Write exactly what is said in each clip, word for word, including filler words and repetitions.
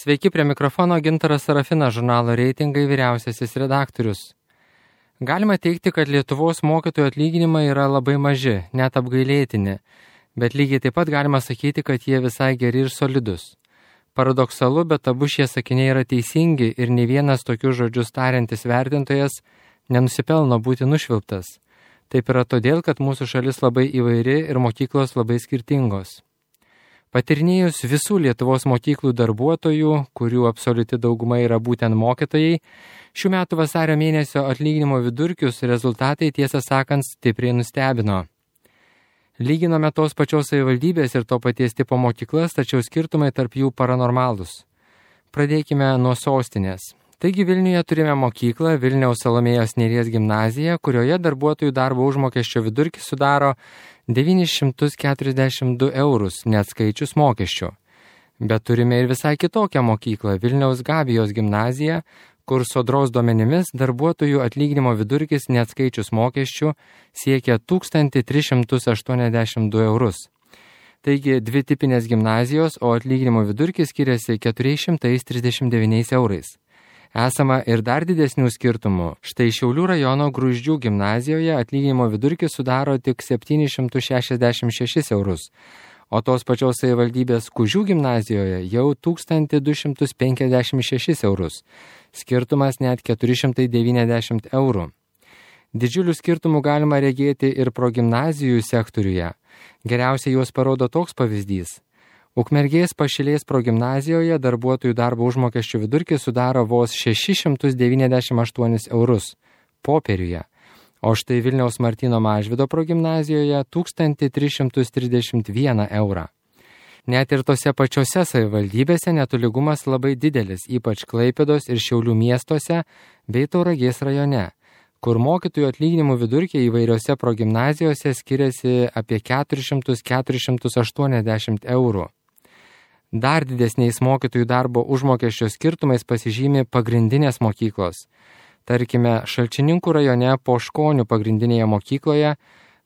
Sveiki, prie mikrofono Gintaras Sarafinas, žurnalo Reitingai vyriausiasis redaktorius. Galima teigti, kad Lietuvos mokytojų atlyginimai yra labai maži, net apgailėtini, bet lygiai taip pat galima sakyti, kad jie visai geri ir solidus. Paradoksalu, bet abu šie sakiniai yra teisingi ir nei vienas tokius žodžius tariantis vertintojas nenusipelno būti nušvilptas. Taip yra todėl, kad mūsų šalis labai įvairi ir mokyklos labai skirtingos. Patirnėjus visų Lietuvos mokyklų darbuotojų, kurių absoliuti dauguma yra būtent mokytojai, šių metų vasario mėnesio atlyginimo vidurkius rezultatai, tiesą sakant, stipriai nustebino. Lyginome tos pačios savivaldybės ir to paties tipo mokyklas, tačiau skirtumai tarp jų paranormalūs. Pradėkime nuo sostinės. Taigi Vilniuje turime mokyklą Vilniaus Salomėjos Nėries gimnaziją, kurioje darbuotojų darbo užmokesčio vidurkis sudaro devynis šimtus keturiasdešimt du eurus, neatskaičius mokesčių. Bet turime ir visai kitokią mokyklą Vilniaus Gabijos gimnaziją, kur Sodros duomenimis darbuotojų atlyginimo vidurkis neatskaičius mokesčių siekia tūkstantį tris šimtus aštuoniasdešimt du eurus. Taigi dvi tipinės gimnazijos, o atlyginimo vidurkis skiriasi keturi šimtai trisdešimt devyni eurais. Esama ir dar didesnių skirtumų. Štai Šiaulių rajono Gruzdžių gimnazijoje atlyginimo vidurkis sudaro tik septynis šimtus šešiasdešimt šešis eurus, o tos pačios savivaldybės Kužių gimnazijoje jau tūkstantį du šimtus penkiasdešimt šešis eurus. Skirtumas net keturi šimtai devyniasdešimt eurų. Didžiulių skirtumų galima regėti ir progimnazijų sektoriuje. Geriausiai juos parodo toks pavyzdys. Ukmergės Pašilės progimnazijoje darbuotojų darbo užmokesčio vidurkis sudaro vos šešis šimtus devyniasdešimt aštuonis eurus popieriuje, o štai Vilniaus Martyno Mažvydo progimnazijoje tūkstantį tris šimtus trisdešimt vieną eurą. Net ir tose pačiose savivaldybėse netolygumas labai didelis, ypač Klaipėdos ir Šiaulių miestuose bei Tauragės rajone, kur mokytojų atlyginimų vidurkiai įvairiose progimnazijose skiriasi apie keturis šimtus - keturis šimtus aštuoniasdešimt eurų. Dar didesniais mokytojų darbo užmokesčio skirtumais pasižymi pagrindinės mokyklos. Tarkime, Šalčininkų rajone Poškonių pagrindinėje mokykloje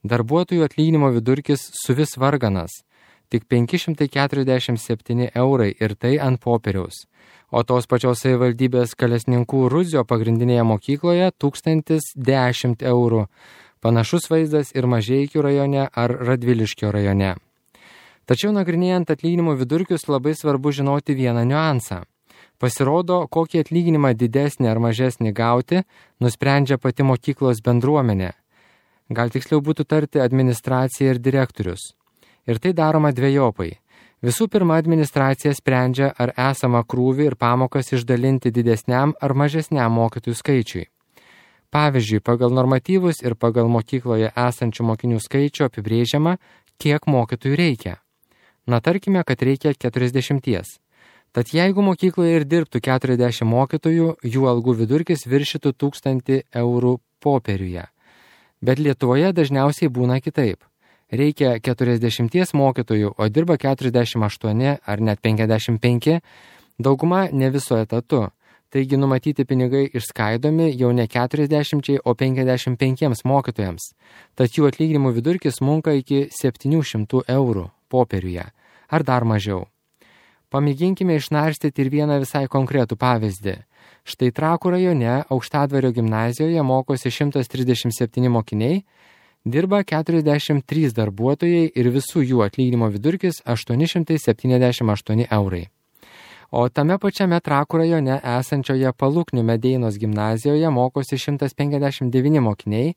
darbuotojų atlyginimo vidurkis suvis varganas, tik penki šimtai keturiasdešimt septyni eurai ir tai ant popieriaus. O tos pačios savivaldybės Kalesninkų Ruzio pagrindinėje mokykloje tūkstantis dešimt eurų. Panašus vaizdas ir Mažeikių rajone ar Radviliškio rajone. Tačiau nagrinėjant atlyginimų vidurkius labai svarbu žinoti vieną niuansą. Pasirodo, kokį atlyginimą didesnį ar mažesnį gauti, nusprendžia pati mokyklos bendruomenė. Gal tiksliau būtų tarti administracija ir direktorius. Ir tai daroma dvejopai. Visų pirma, administracija sprendžia, ar esamą krūvį ir pamokas išdalinti didesniam ar mažesniam mokytojų skaičiui. Pavyzdžiui, pagal normatyvus ir pagal mokykloje esančių mokinių skaičių apibrėžiama, kiek mokytojų reikia. Na, tarkime, kad reikia keturiasdešimties. Tad jeigu mokykloje ir dirbtų keturiasdešimt mokytojų, jų algų vidurkis viršytų tūkstantį eurų popieriuje. Bet Lietuvoje dažniausiai būna kitaip. Reikia keturiasdešimties mokytojų, o dirba keturiasdešimt aštuoni ar net penkiasdešimt penki, dauguma ne viso etatu. Taigi numatyti pinigai išskaidomi jau ne keturiasdešimčiai, o penkiasdešimt penkiems mokytojams. Tad jų atlyginimų vidurkis smunka iki septynių šimtų eurų popieriuje, ar dar mažiau. Pamėginkime išnarstyti ir vieną visai konkretų pavyzdį. Štai Trakų rajone Aukštadvario gimnazijoje mokosi šimtas trisdešimt septyni mokiniai, dirba keturiasdešimt trys darbuotojai ir visų jų atlyginimo vidurkis aštuoni šimtai septyniasdešimt aštuoni eurai. O tame pačiame Trakų rajone esančioje Paluknių Medeinos gimnazijoje mokosi šimtas penkiasdešimt devyni mokiniai,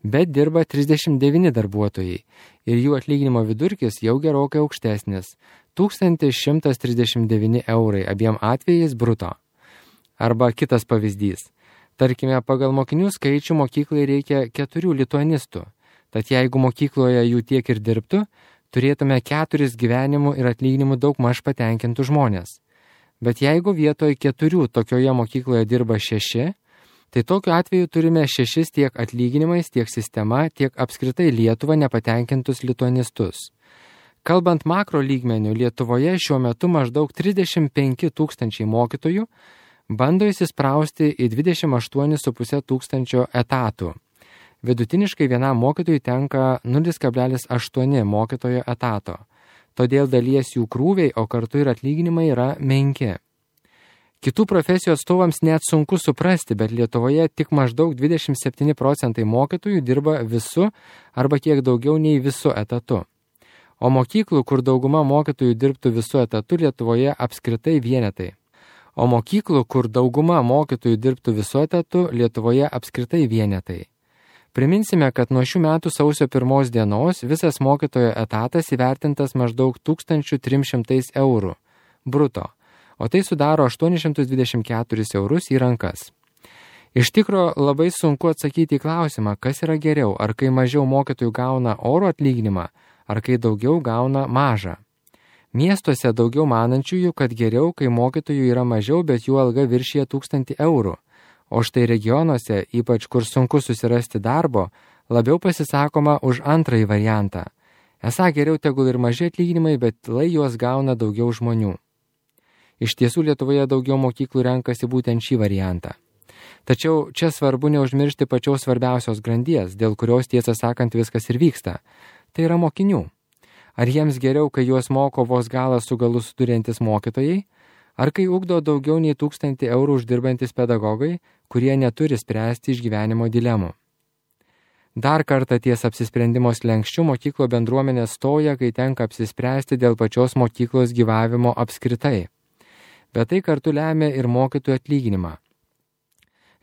bet dirba trisdešimt devyni darbuotojai ir jų atlyginimo vidurkis jau gerokai aukštesnis – tūkstantis šimtas trisdešimt devyni eurai abiem atvejais bruto. Arba kitas pavyzdys. Tarkime, pagal mokinių skaičių mokyklai reikia keturių lituanistų, tad jeigu mokykloje jų tiek ir dirbtų, turėtume keturis gyvenimų ir atlyginimų daug maž patenkintų žmonės. Bet jeigu vietoj keturių tokioje mokykloje dirba šeši, tai tokiu atveju turime šešis tiek atlyginimais, tiek sistema, tiek apskritai Lietuvą nepatenkintus lituanistus. Kalbant makro lygmenių, Lietuvoje šiuo metu maždaug trisdešimt penki tūkstančiai mokytojų bando įsisprausti į dvidešimt aštuoni su puse tūkstančio etatų. Vidutiniškai vienam mokytojui tenka nulis kablelis aštuoni mokytojo etato. Todėl dalies jų krūviai, o kartu ir atlyginimai yra menki. Kitų profesijų atstovams net sunku suprasti, bet Lietuvoje tik maždaug dvidešimt septyni procentai mokytojų dirba visu arba kiek daugiau nei visu etatu. O mokyklų, kur dauguma mokytojų dirbtų visu etatu, Lietuvoje apskritai vienetai. O mokyklų, kur dauguma mokytojų dirbtų visu etatu, Lietuvoje apskritai vienetai. Priminsime, kad nuo šių metų sausio pirmos dienos visas mokytojo etatas įvertintas maždaug tūkstantis trys šimtai eurų bruto, o tai sudaro aštuonis šimtus dvidešimt keturis eurus į rankas. Iš tikro labai sunku atsakyti į klausimą, kas yra geriau, ar kai mažiau mokytojų gauna oro atlyginimą, ar kai daugiau gauna mažą. Miestuose daugiau manančiųjų, kad geriau, kai mokytojų yra mažiau, bet jų alga viršyje tūkstantį eurų. O štai regionuose, ypač kur sunku susirasti darbo, labiau pasisakoma už antrąjį variantą. Esą geriau tegul ir maži atlyginimai, bet lai juos gauna daugiau žmonių. Iš tiesų Lietuvoje daugiau mokyklų renkasi būtent šį variantą. Tačiau čia svarbu neužmiršti pačios svarbiausios grandies, dėl kurios tiesą sakant viskas ir vyksta. Tai yra mokinių. Ar jiems geriau, kai juos moko vos galą su galu suduriantis mokytojai, ar kai ugdo daugiau nei tūkstantį eurų uždirbantis pedagogai, kurie neturi spręsti išgyvenimo dilemų. Dar kartą ties apsisprendimo slenkščiu mokyklo bendruomenė stoja, kai tenka apsispręsti dėl pačios mokyklos gyvavimo apskritai. Bet tai kartu lemia ir mokytojų atlyginimą.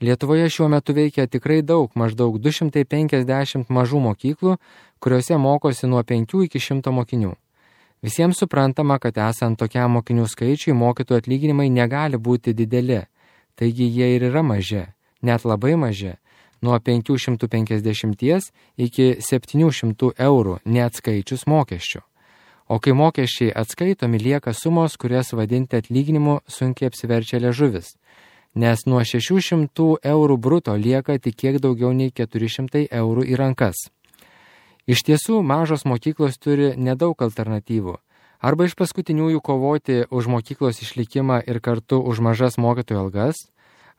Lietuvoje šiuo metu veikia tikrai daug, maždaug du šimtai penkiasdešimt mažų mokyklų, kuriuose mokosi nuo penkių iki šimto mokinių. Visiems suprantama, kad esant tokiam mokinių skaičiui, mokytojų atlyginimai negali būti dideli, taigi jie ir yra maži, net labai maži, nuo penkių šimtų penkiasdešimties iki septynių šimtų eurų, neatskaičius mokesčių. O kai mokesčiai atskaitomi, lieka sumos, kurias vadinti atlyginimu sunkiai apsiverčia liežuvis, nes nuo šešių šimtų eurų bruto lieka tik kiek daugiau nei keturi šimtai eurų į rankas. Iš tiesų, mažos mokyklos turi nedaug alternatyvų. Arba iš paskutiniųjų kovoti už mokyklos išlikimą ir kartu už mažas mokytojų algas,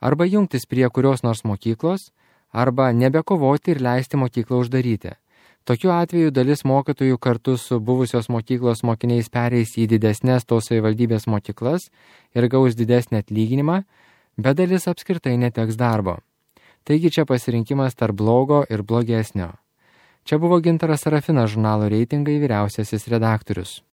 arba jungtis prie kurios nors mokyklos, arba nebekovoti ir leisti mokyklą uždaryti. Tokiu atveju dalis mokytojų kartu su buvusios mokyklos mokiniais pereis į didesnės tos savivaldybės mokyklas ir gaus didesnį atlyginimą, bet dalis apskritai neteks darbo. Taigi čia pasirinkimas tarp blogo ir blogesnio. Čia buvo Gintaras Sarafinas, žurnalo Reitingai vyriausiasis redaktorius.